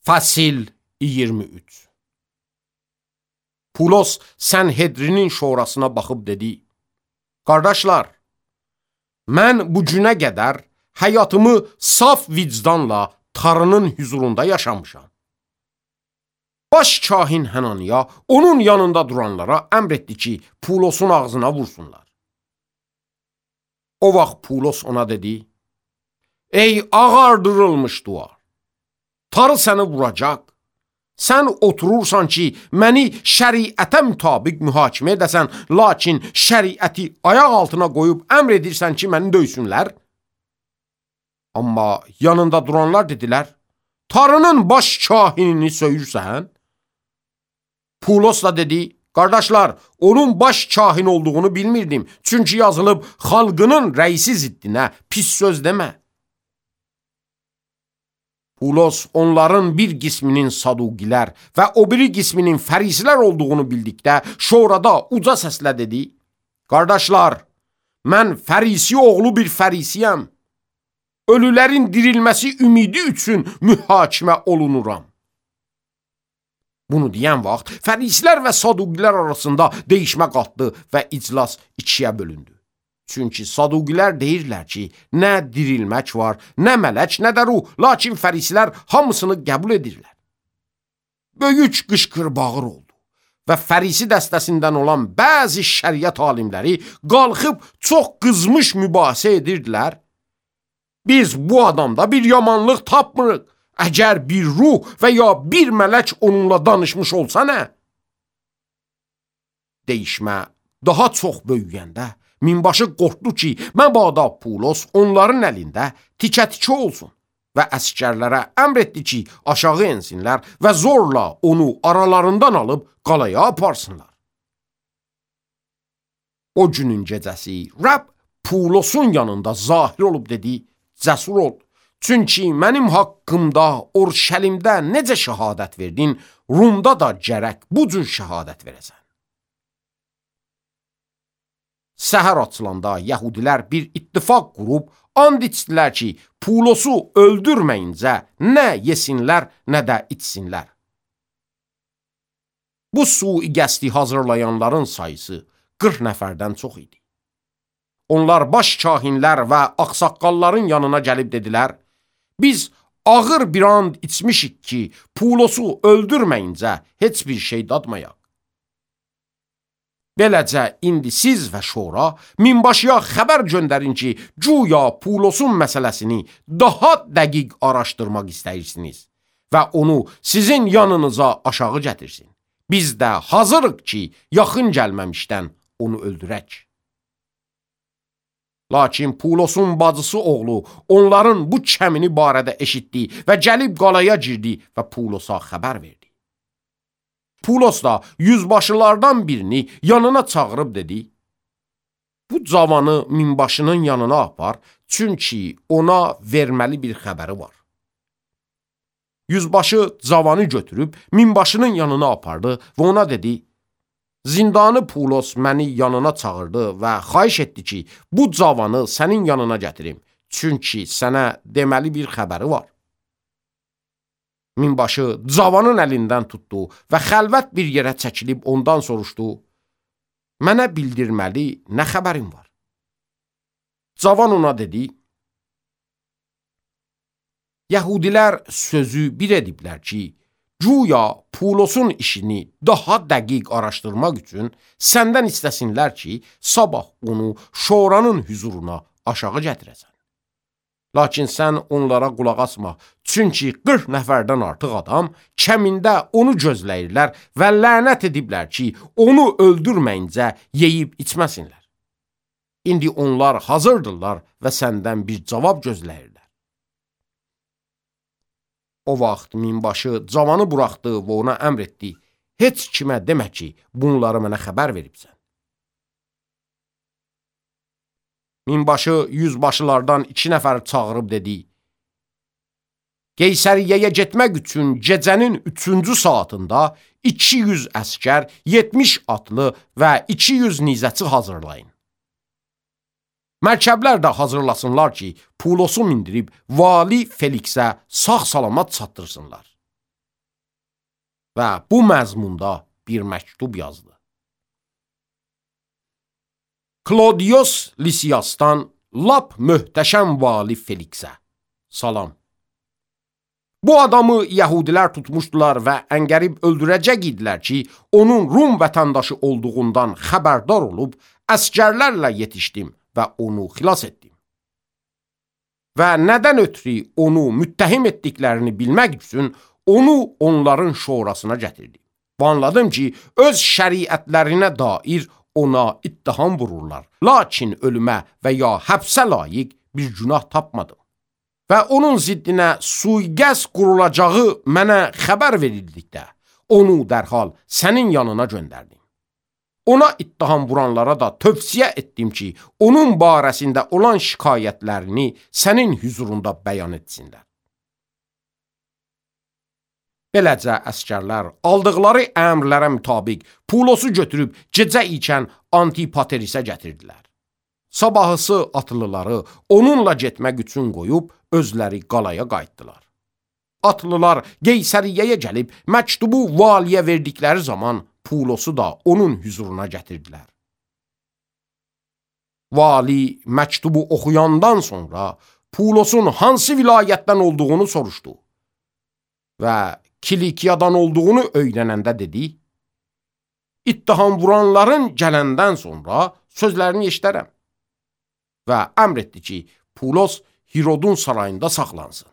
Fəsil 23. Pulos Sənhedrinin şurasına baxıb dedi: Qardaşlar, mən bu günə qədər həyatımı saf vicdanla Tanrının huzurunda yaşamışam. Baş kahin Hananiya onun yanında duranlara əmr etdi ki, Pulosun ağzına vursunlar. O vaxt Pulos ona dedi: Ey ağardırılmış duvar, Tanrı səni vuracaq. Sən oturursan ki, məni şəriətə mütabiq mühakimə edəsən, lakin şəriəti ayaq altına qoyub əmr edirsən ki, məni döysünlər. Amma yanında duranlar dedilər: Tanrının baş kahinini söyürsən? Pulos da dedi: Qardaşlar, onun baş kahin olduğunu bilmirdim. Çünki yazılıb, xalqının rəisi ziddinə pis söz demə. Pulos onların bir qisminin Sadugilər və o biri qisminin Fərisilər olduğunu bildikdə şurada uca səslə dedi: Qardaşlar, mən Fərisi oğlu bir Fərisiyəm. Ölülərin dirilməsi ümidi üçün mühakimə olunuram. Bunu deyən vaxt Fərisilər və Sadugilər arasında deyişmə qalxdı və iclas ikiyə bölündü. Çünki Sadugilər deyirlər ki, nə dirilmək var, nə mələk, nə də ruh, lakin Fərisilər hamısını qəbul edirlər. Böyük qışqır-bağır oldu və Fərisi dəstəsindən olan bəzi şəriət alimləri qalxıb çox qızmış mübahisə edirdilər. Biz bu adamda bir yamanlıq tapmırıq. Əgər bir ruh və ya bir mələk onunla danışmış olsa nə? Deyişmə daha çox böyüyəndə minbaşı qorxdu ki, məbada Pulos onların əlində tikə-tikə olsun və əsgərlərə əmr etdi ki, aşağı ensinlər və zorla onu aralarından alıb qalaya aparsınlar. O günün gecəsi Rəbb Pulosun yanında zahir olub dedi: Cəsur ol, çünki mənim haqqımda Orşəlimdə necə şəhadət verdin, Rumda da gərək bu cür şəhadət verəsən. Səhər açılanda Yəhudilər bir ittifaq qurub and içdilər ki, Pulosu öldürməyincə nə yesinlər, nə də içsinlər. Bu sui-qəsdi hazırlayanların sayısı 40 nəfərdən çox idi. Onlar baş kahinlər və ağsaqqalların yanına gəlib dedilər: Biz ağır bir and içmişik ki, Pulosu öldürməyincə heç bir şey dadmayaq. Beləcə, indi siz və şura minbaşıya xəbər göndərin ki, güya Pulosun məsələsini daha dəqiq araşdırmaq istəyirsiniz və onu sizin yanınıza aşağı gətirsin. Biz də hazırıq ki, yaxın gəlməmişdən onu öldürək. Lakin Pulosun bacısı oğlu onların bu kəmini barədə eşitdi və gəlib qalaya girdi və Pulosa xəbər verdi. Pulos da yüzbaşılardan birini yanına çağırıb dedi: Bu cavanı minbaşının yanına apar, çünki ona verməli bir xəbəri var. Yüzbaşı cavanı götürüb minbaşının yanına apardı və ona dedi: Zindanı Pulos məni yanına çağırdı və xahiş etdi ki, bu cavanı sənin yanına gətirim, çünki sənə deməli bir xəbəri var. Minbaşı cavanın əlindən tutdu və xəlvət bir yerə çəkilib ondan soruşdu: Mənə bildirməli nə xəbərin var? Cavan ona dedi: Yəhudilər sözü bir ediblər ki, güya Pulosun işini daha dəqiq araşdırmaq üçün səndən istəsinlər ki, sabah onu şuranın huzuruna aşağı gətirəsən. Lakin sən onlara qulaq asma, çünki 40 nəfərdən artıq adam kəmində onu gözləyirlər və lənət ediblər ki, onu öldürməyincə yeyib içməsinlər. İndi onlar hazırdırlar və səndən bir cavab gözləyirlər. O vaxt minbaşı cavanı buraxdı və ona əmr etdi: Heç kimə demə ki, bunları mənə xəbər veribsən. Minbaşı yüzbaşılardan 2 nəfər çağırıb dedi: Qeysəriyyəyə getmək üçün gecənin 3-cü saatında 200 əskər, 70 atlı və 200 nizəçi hazırlayın. Mərkəblər də hazırlasınlar ki, Pulosu mindirib vali Feliksə sağ-salamat çatdırsınlar. və bu məzmunda bir məktub yazdı. Klodios Lisiasdan lap möhtəşəm vali Feliksə. Salam. Bu adamı yəhudilər tutmuşdular və əngərib öldürəcək idilər ki, onun Rum vətəndaşı olduğundan xəbərdar olub, əsgərlərlə yetişdim və onu xilas etdim. Və nədən ötürü onu müttəhim etdiklərini bilmək üçün onu onların şurasına gətirdim. Anladım ki, öz şəriətlərinə dair ona ittiham vururlar. Lakin ölümə və ya həbsə layiq bir günah tapmadım. Və onun ziddinə sui-qəsd qurulacağı mənə xəbər verildikdə, onu dərhal sənin yanına göndərdim. Ona ittiham vuranlara da tövsiyə etdim ki, onun barəsində olan şikayətlərini sənin hüzurunda bəyan etsinlər. Beləcə əsgərlər aldıqları əmrlərə mütabiq Pulosu götürüb gecə ikən Antipaterisə gətirdilər. Sabahısı atlıları onunla getmək üçün qoyub özləri qalaya qayıtdılar. Atlılar Qeysəriyyəyə gəlib məktubu valiyə verdikləri zaman Pulosu da onun hüzuruna gətirdilər. Vali məktubu oxuyandan sonra Pulosun hansı vilayətdən olduğunu soruşdu və Kilikiyadan olduğunu öyrənəndə dedi, ittiham vuranların gələndən sonra sözlərini eşidərəm və əmr etdi ki, Pulos Hirodun sarayında saxlansın.